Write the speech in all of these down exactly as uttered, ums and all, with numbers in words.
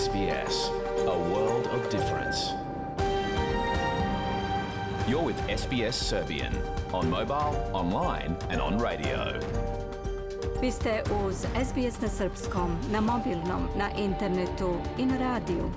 S B S, a world of difference. You're with S B S Serbian on mobile, online and on radio. Vi ste uz S B S na srpskom, na mobilnom, na internetu i na radiju.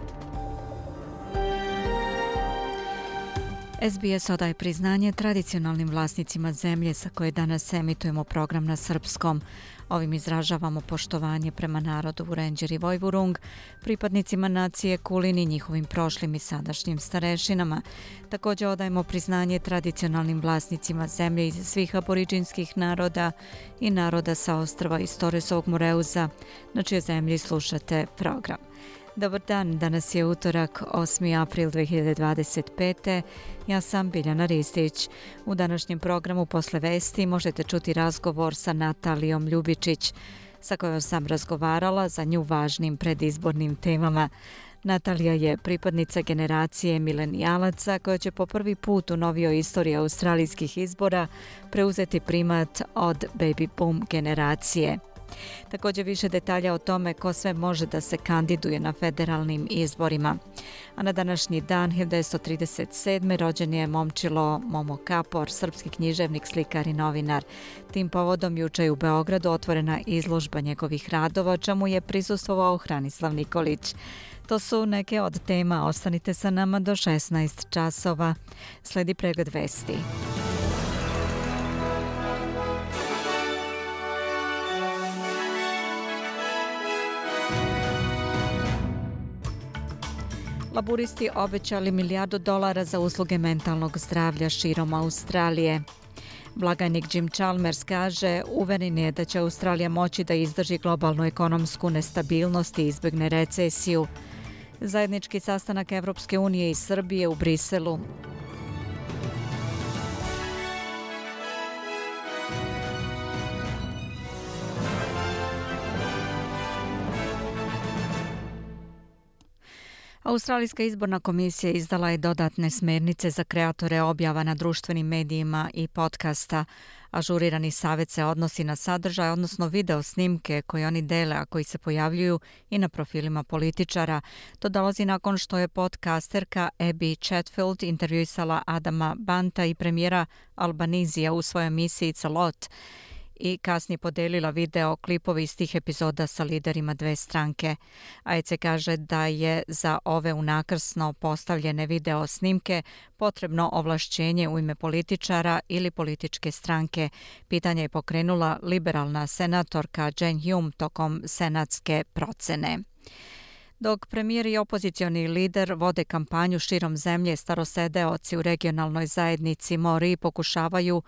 S B S odaje priznanje tradicionalnim vlasnicima zemlje sa koje danas emitujemo program na srpskom. Ovim izražavamo poštovanje prema narodu Vurenđer i Vojvurung, pripadnicima nacije Kulin i njihovim prošlim i sadašnjim starešinama. Također odajemo priznanje tradicionalnim vlasnicima zemlje iz svih aboriđinskih naroda i naroda sa ostrva iz Torresovog Moreuza, na čije zemlji slušate program. Dobar dan, danas je utorak, osmi april dve hiljade dvadeset pete. Ja sam Biljana Ristić. U današnjem programu posle vesti možete čuti razgovor sa Natalijom Ljubičić, sa kojom sam razgovarala za nju važnim predizbornim temama. Natalija je pripadnica generacije milenijalaca koja će po prvi put u novijoj istoriji australijskih izbora preuzeti primat od baby boom generacije. Također više detalja o tome ko sve može da se kandiduje na federalnim izborima. A na današnji dan hiljadu devetsto trideset sedme. rođen je momčilo Momo Kapor, srpski književnik, slikar i novinar. Tim povodom juče je u Beogradu otvorena izložba njegovih radova, čemu je prisustvovao Hranislav Nikolić. To su neke od tema, ostanite sa nama do šesnaest časova. Sledi pregled vesti. Laburisti obećali milijardu dolara za usluge mentalnog zdravlja širom Australije. Blagajnik Jim Chalmers kaže, uveren je da će Australija moći da izdrži globalnu ekonomsku nestabilnost i izbjegne recesiju. Zajednički sastanak Evropske unije i Srbije u Briselu. Australijska izborna komisija izdala je dodatne smjernice za kreatore objava na društvenim medijima i podcasta. Ažurirani savjet se odnosi na sadržaj, odnosno video snimke koje oni dele, a koji se pojavljuju i na profilima političara. To dolazi nakon što je podcasterka Abby Chatfield intervjuisala Adama Banta i premijera Albanizija u svojoj emisiji It's a Lot i kasnije podelila video klipovi iz tih epizoda sa liderima dve stranke. A E C kaže da je za ove unakrsno postavljene video snimke potrebno ovlašćenje u ime političara ili političke stranke. Pitanje je pokrenula liberalna senatorka Jane Hume tokom senatske procene. Dok premijer i opozicioni lider vode kampanju širom zemlje, starosedeoci u regionalnoj zajednici Mori pokušavaju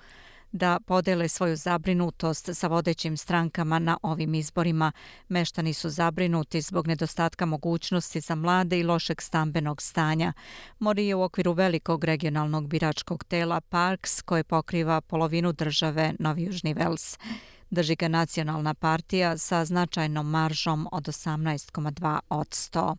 da podele svoju zabrinutost sa vodećim strankama na ovim izborima. Meštani su zabrinuti zbog nedostatka mogućnosti za mlade i lošeg stambenog stanja. Mori je u okviru velikog regionalnog biračkog tela Parks, koje pokriva polovinu države Novi Južni Vels. Drži ga nacionalna partija sa značajnom maržom od osamnaest zarez dva posto.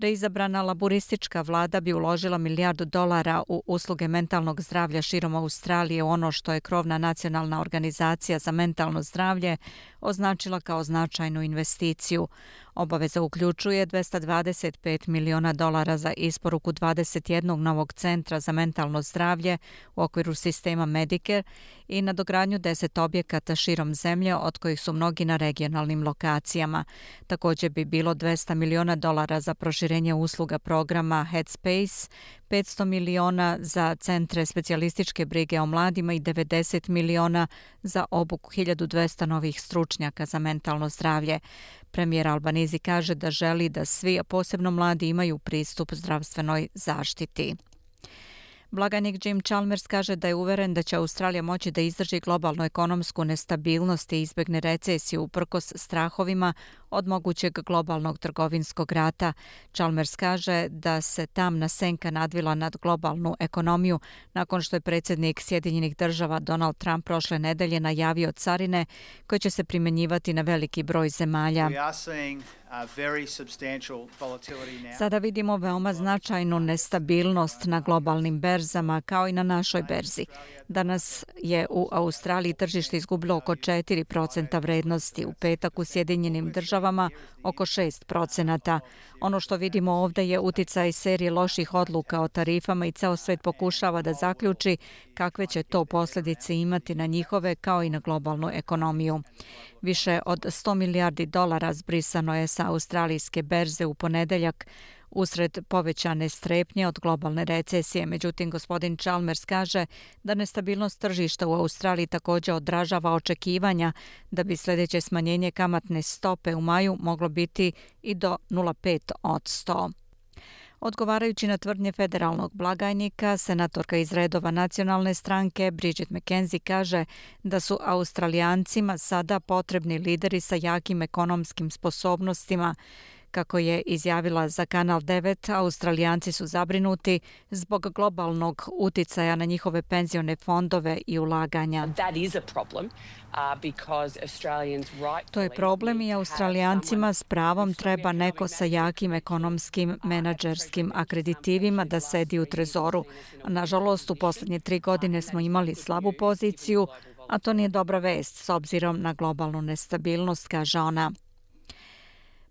Reizabrana laburistička vlada bi uložila milijardu dolara u usluge mentalnog zdravlja širom Australije, u ono što je krovna nacionalna organizacija za mentalno zdravlje označila kao značajnu investiciju. Obaveza uključuje dvesta dvadeset pet miliona dolara za isporuku dvadeset jednog novog centra za mentalno zdravlje u okviru sistema Medicare i nadogradnju deset objekata širom zemlje, od kojih su mnogi na regionalnim lokacijama. Također bi bilo dvesta miliona dolara za proširenje usluga programa Headspace, petsto miliona za centre specijalističke brige o mladima i devedeset miliona za obuku hiljadu dvesta novih stručnjaka za mentalno zdravlje. Premijer Albanizi kaže da želi da svi, a posebno mladi, imaju pristup zdravstvenoj zaštiti. Blagajnik Jim Chalmers kaže da je uveren da će Australija moći da izdrži globalnu ekonomsku nestabilnost i izbjegne recesiju uprkos strahovima od mogućeg globalnog trgovinskog rata. Chalmers kaže da se tamna senka nadvila nad globalnu ekonomiju nakon što je predsjednik Sjedinjenih država Donald Trump prošle nedelje najavio carine koje će se primjenjivati na veliki broj zemalja. Sada vidimo veoma značajnu nestabilnost na globalnim berzama kao i na našoj berzi. Danas je u Australiji tržište izgubilo oko četiri procenta vrednosti. U petak u Sjedinjenim državama državama oko šest procenata. Ono što vidimo ovdje je uticaj serije loših odluka o tarifama i ceo svet pokušava da zaključi kakve će to posljedice imati na njihove kao i na globalnu ekonomiju. Više od sto milijardi dolara zbrisano je sa australijske berze u ponedeljak usred povećane strepnje od globalne recesije. Međutim, gospodin Chalmers kaže da nestabilnost tržišta u Australiji također odražava očekivanja da bi sljedeće smanjenje kamatne stope u maju moglo biti i do nula zarez pet posto. Odgovarajući na tvrdnje federalnog blagajnika, senatorka iz redova nacionalne stranke Bridget McKenzie kaže da su Australijancima sada potrebni lideri sa jakim ekonomskim sposobnostima. Kako je izjavila za Kanal devet, Australijanci su zabrinuti zbog globalnog uticaja na njihove penzione fondove i ulaganja. To je problem i Australijancima s pravom treba neko sa jakim ekonomskim menadžerskim akreditivima da sedi u trezoru. Nažalost, u posljednje tri godine smo imali slabu poziciju, a to nije dobra vest s obzirom na globalnu nestabilnost, kaže ona.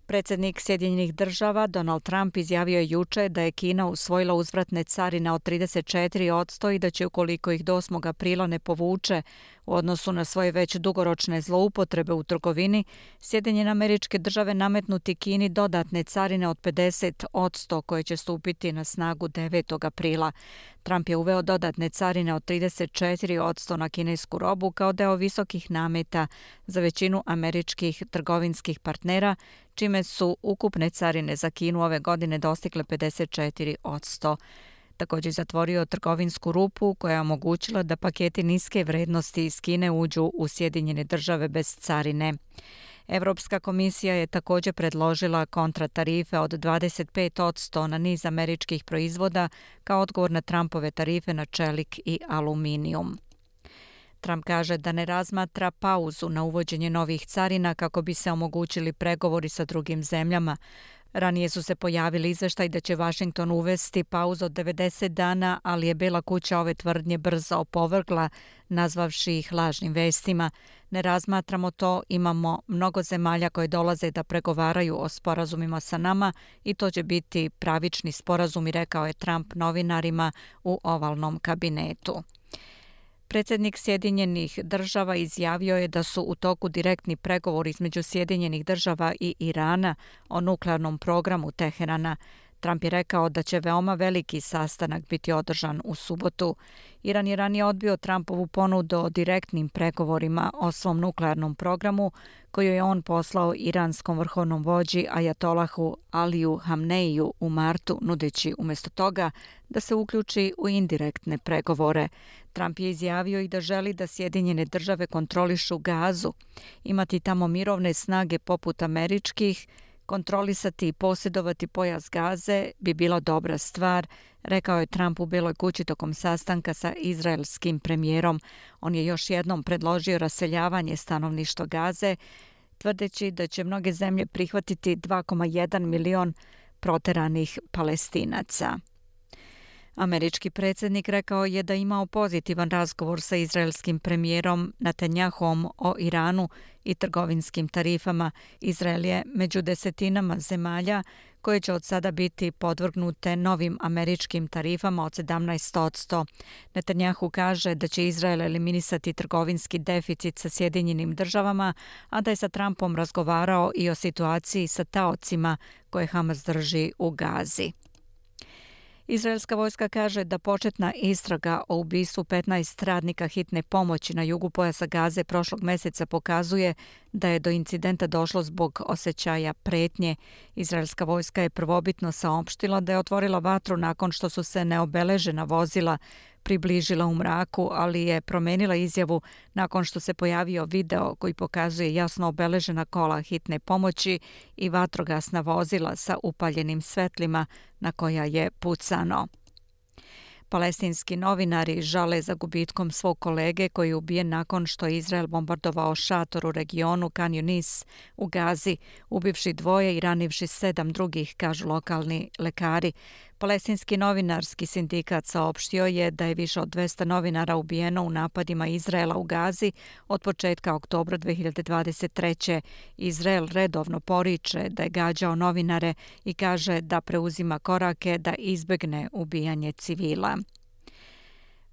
Predsjednik Sjedinjenih država Donald Trump izjavio je juče da je Kina usvojila uzvratne carine od trideset četiri posto i da će, ukoliko ih do osmog aprila ne povuče u odnosu na svoje već dugoročne zloupotrebe u trgovini, Sjedinjene Američke Države nametnuti Kini dodatne carine od pedeset posto koje će stupiti na snagu devetog aprila. Trump je uveo dodatne carine od trideset četiri posto na kinesku robu kao deo visokih nameta za većinu američkih trgovinskih partnera, čime su ukupne carine za Kinu ove godine dostigle pedeset četiri posto. Također zatvorio trgovinsku rupu koja je omogućila da paketi niske vrednosti iz Kine uđu u Sjedinjene Države bez carine. Europska komisija je također predložila kontratarife od dvadeset pet posto na niz američkih proizvoda kao odgovor na Trumpove tarife na čelik i aluminijum. Trump kaže da ne razmatra pauzu na uvođenje novih carina kako bi se omogućili pregovori sa drugim zemljama. Ranije su se pojavili izveštaj da će Washington uvesti pauzu od devedeset dana, ali je Bela kuća ove tvrdnje brzo opovrgla, nazvavši ih lažnim vestima. Ne razmatramo to, imamo mnogo zemalja koje dolaze da pregovaraju o sporazumima sa nama i to će biti pravični sporazumi, rekao je Trump novinarima u ovalnom kabinetu. Predsjednik Sjedinjenih država izjavio je da su u toku direktni pregovori između Sjedinjenih država i Irana o nuklearnom programu Teherana. Trump je rekao da će veoma veliki sastanak biti održan u subotu. Iran je ranije odbio Trumpovu ponudu o direktnim pregovorima o svom nuklearnom programu koju je on poslao iranskom vrhovnom vođi Ajatolahu Aliju Hamneiju u martu, nudeći umjesto toga da se uključi u indirektne pregovore. Trump je izjavio i da želi da Sjedinjene države kontrolišu Gazu, imati tamo mirovne snage poput američkih, kontrolisati i posjedovati pojas Gaze bi bila dobra stvar, rekao je Trump u Beloj kući tokom sastanka sa izraelskim premijerom. On je još jednom predložio raseljavanje stanovništva Gaze, tvrdeći da će mnoge zemlje prihvatiti dva zarez jedan milion proteranih Palestinaca. Američki predsjednik rekao je da imao pozitivan razgovor sa izraelskim premijerom Netanjahom o Iranu i trgovinskim tarifama. Izrael je među desetinama zemalja koje će od sada biti podvrgnute novim američkim tarifama od sedamnaest posto. Netanjahu kaže da će Izrael eliminisati trgovinski deficit sa Sjedinjenim državama, a da je sa Trumpom razgovarao i o situaciji sa taocima koje Hamas drži u Gazi. Izraelska vojska kaže da početna istraga o ubistvu petnaest radnika hitne pomoći na jugu pojasa Gaze prošlog mjeseca pokazuje da je do incidenta došlo zbog osjećaja pretnje. Izraelska vojska je prvobitno saopštila da je otvorila vatru nakon što su se neobeležena vozila približila u mraku, ali je promenila izjavu nakon što se pojavio video koji pokazuje jasno obeležena kola hitne pomoći i vatrogasna vozila sa upaljenim svetlima na koja je pucano. Palestinski novinari žale za gubitkom svog kolege koji je ubijen nakon što je Izrael bombardovao šator u regionu Kan Yunis u Gazi, ubivši dvoje i ranivši sedam drugih, kažu lokalni lekari. Palestinski novinarski sindikat saopštio je da je više od dvesta novinara ubijeno u napadima Izraela u Gazi od početka oktobra dve hiljade dvadeset treće. Izrael redovno poriče da je gađao novinare i kaže da preuzima korake da izbegne ubijanje civila.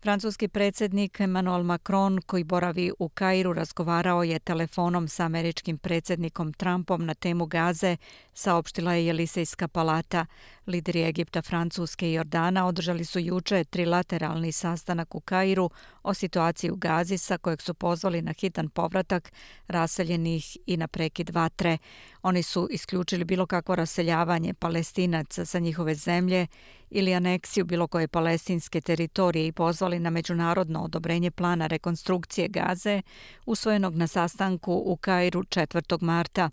Francuski predsjednik Emmanuel Macron, koji boravi u Kairu, razgovarao je telefonom sa američkim predsjednikom Trumpom na temu Gaze, saopštila je Jelisejska palata. Lideri Egipta, Francuske i Jordana održali su juče trilateralni sastanak u Kairu o situaciji u Gazi, sa kojeg su pozvali na hitan povratak raseljenih i na prekid vatre. Oni su isključili bilo kakvo raseljavanje Palestinaca sa njihove zemlje ili aneksiju bilo koje palestinske teritorije i pozvali na međunarodno odobrenje plana rekonstrukcije Gaze usvojenog na sastanku u Kairu četvrtog marta,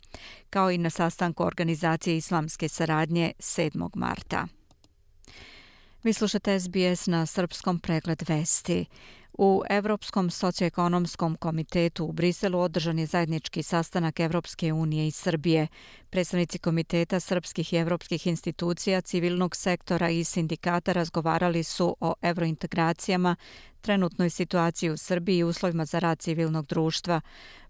kao i na sastanku Organizacije islamske saradnje sedmog marta. Vi slušate S B S na srpskom, pregled vesti. U Evropskom socioekonomskom komitetu u Briselu održan je zajednički sastanak Evropske unije i Srbije. Predstavnici komiteta srpskih i evropskih institucija, civilnog sektora i sindikata razgovarali su o evrointegracijama, trenutnoj situaciji u Srbiji i uslovima za rad civilnog društva.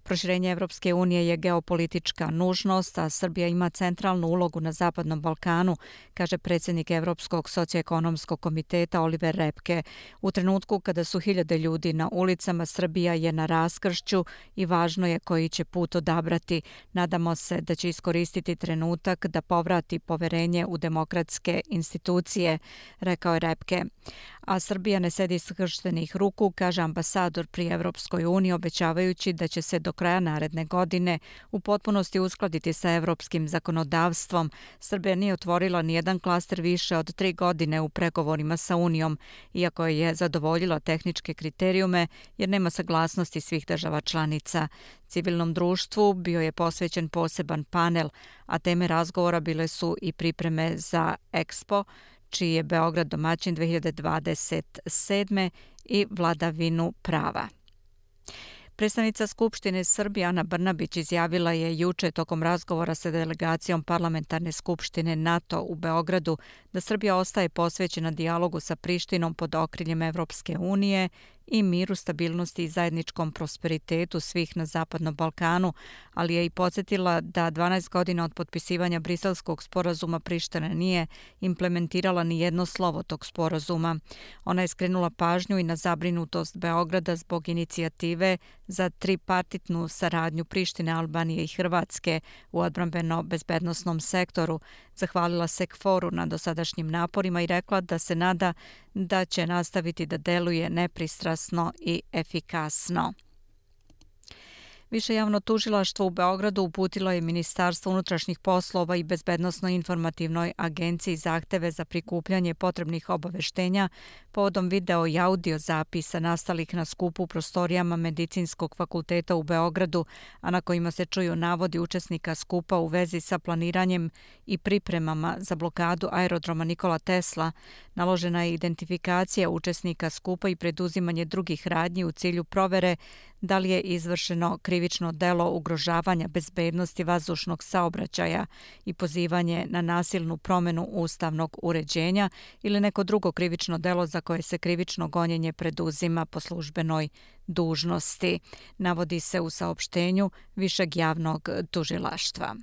Proširenje Evropske unije je geopolitička nužnost, a Srbija ima centralnu ulogu na Zapadnom Balkanu, kaže predsjednik Evropskog socioekonomskog komiteta Oliver Repke. U trenutku kada su hiljade ljudi na ulicama, Srbija je na raskršću i važno je koji će put odabrati. Nadamo se da će iskoristiti trenutak da povrati poverenje u demokratske institucije, rekao je Repke. A Srbija ne sedi skrštenih ruku, kaže ambasador pri Evropskoj uniji, obećavajući da će se do kraja naredne godine u potpunosti uskladiti sa evropskim zakonodavstvom. Srbija nije otvorila ni jedan klaster više od tri godine u pregovorima sa Unijom, iako je zadovoljila tehničke kriterijume jer nema saglasnosti svih država članica. Civilnom društvu bio je posvećen poseban panel, a teme razgovora bile su i pripreme za Expo, čiji je Beograd domaćin dve hiljade dvadeset sedme i vladavinu prava. Predstavnica Skupštine Srbije Ana Brnabić izjavila je juče tokom razgovora sa delegacijom Parlamentarne skupštine NATO u Beogradu da Srbija ostaje posvećena dijalogu sa Prištinom pod okriljem Evropske unije i miru, stabilnosti i zajedničkom prosperitetu svih na Zapadnom Balkanu, ali je i podsjetila da dvanaest godina od potpisivanja Briselskog sporazuma Priština nije implementirala ni jedno slovo tog sporazuma. Ona je skrenula pažnju i na zabrinutost Beograda zbog inicijative za tripartitnu saradnju Prištine, Albanije i Hrvatske u odbrambeno-bezbednosnom sektoru. Zahvalila se KFOR-u na dosadašnjim naporima i rekla da se nada da će nastaviti da deluje nepristrasno i efikasno. Više javno tužilaštvo u Beogradu uputilo je Ministarstvo unutrašnjih poslova i Bezbednosno-informativnoj agenciji zahteve za prikupljanje potrebnih obaveštenja povodom video i audio zapisa nastalih na skupu u prostorijama Medicinskog fakulteta u Beogradu, a na kojima se čuju navodi učesnika skupa u vezi sa planiranjem i pripremama za blokadu aerodroma Nikola Tesla. Naložena je identifikacija učesnika skupa i preduzimanje drugih radnji u cilju provere da li je izvršeno krivično delo ugrožavanja bezbednosti vazdušnog saobraćaja i pozivanje na nasilnu promjenu ustavnog uređenja ili neko drugo krivično delo za koje se krivično gonjenje preduzima po službenoj dužnosti, navodi se u saopštenju Višeg javnog tužilaštva.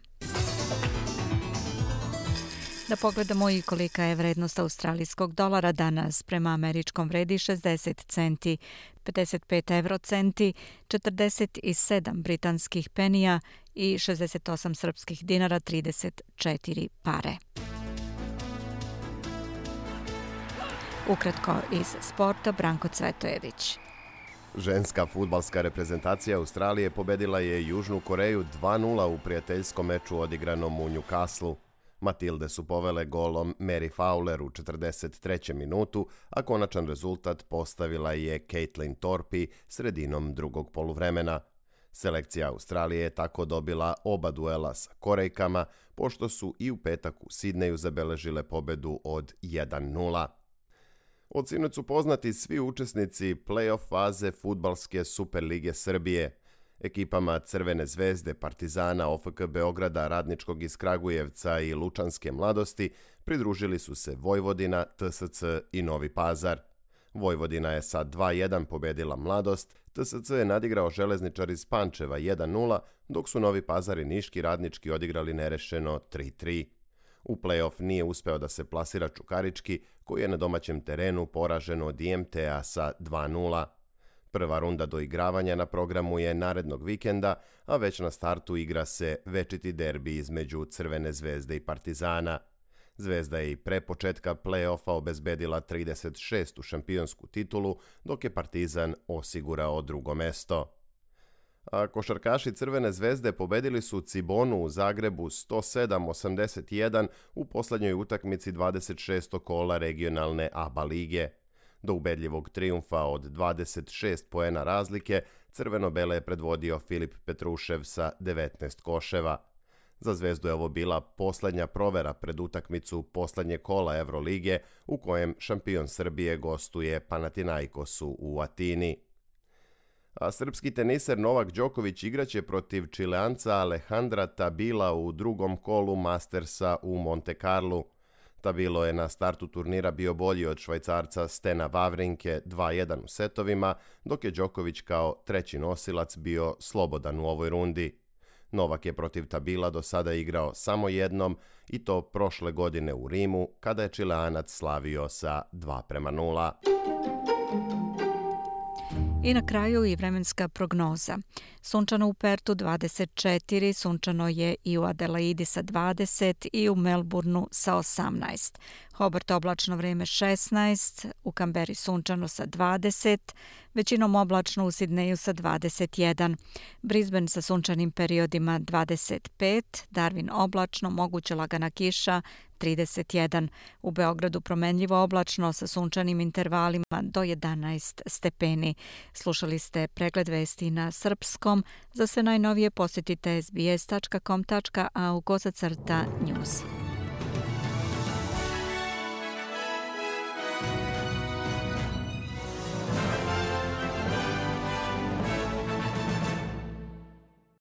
Da pogledamo i kolika je vrednost australijskog dolara danas. Prema američkom vredi šezdeset centi, pedeset pet evrocenti, četrdeset sedam britanskih penija i šezdeset osam srpskih dinara, trideset četiri pare. Ukratko iz sporta, Branko Cvetojević. Ženska fudbalska reprezentacija Australije pobedila je Južnu Koreju dva nula u prijateljskom meču odigranom u Newcastlu. Matilde su povele golom Mary Fowler u četrdeset trećem minutu, a konačan rezultat postavila je Caitlin Torpy sredinom drugog poluvremena. Selekcija Australije je tako dobila oba duela sa Korejkama, pošto su i u petak u Sidneju zabeležile pobedu od jedan nula. Od sinoć su poznati svi učesnici play-off faze fudbalske Super lige Srbije. Ekipama Crvene zvezde, Partizana, O F K Beograda, Radničkog iz Kragujevca i Lučanske mladosti pridružili su se Vojvodina, T S C i Novi Pazar. Vojvodina je sa dva jedan pobedila Mladost, T S C je nadigrao Železničar iz Pančeva jedan nula, dok su Novi Pazar i Niški Radnički odigrali nerešeno tri tri. U play-off nije uspeo da se plasira Čukarički, koji je na domaćem terenu poražen od I M T-a sa dva nula. Prva runda doigravanja na programu je narednog vikenda, a već na startu igra se večiti derbi između Crvene zvezde i Partizana. Zvezda je i pre početka play-offa obezbedila trideset šestu šampionsku titulu, dok je Partizan osigurao drugo mesto. A košarkaši Crvene zvezde pobedili su Cibonu u Zagrebu sto sedam osamdeset jedan u poslednjoj utakmici dvadeset šestog kola regionalne A B A lige. Do ubedljivog trijumfa od dvadeset šest poena razlike, crveno-bele je predvodio Filip Petrušev sa devetnaest koševa. Za Zvezdu je ovo bila poslednja provera pred utakmicu poslednje kola Evrolige, u kojem šampion Srbije gostuje Panathinaikosu u Atini. A srpski teniser Novak Đoković igraće protiv Čileanca Alejandra Tabila u drugom kolu Mastersa u Monte Carlu. Tabilo je na startu turnira bio bolji od Švajcarca Stena Wawrinke dva jedan u setovima, dok je Đoković kao treći nosilac bio slobodan u ovoj rundi. Novak je protiv Tabila do sada igrao samo jednom, i to prošle godine u Rimu, kada je Čileanac slavio sa dva prema nula. I na kraju i vremenska prognoza. Sunčano u Pertu dvadeset četiri, sunčano je i u Adelaidi sa dvadeset i u Melbourneu sa osamnaest. Hobart oblačno vreme šesnaest, u Kamberi sunčano sa dvadeset, većinom oblačno u Sidneju sa dvadeset jedan, Brisbane sa sunčanim periodima dvadeset pet, Darwin oblačno, moguća lagana kiša trideset jedan, u Beogradu promenljivo oblačno sa sunčanim intervalima do jedanaest stepeni. Slušali ste pregled vesti na srpskom. Za sve najnovije posjetite s b s tačka com tačka a u kosa crta news.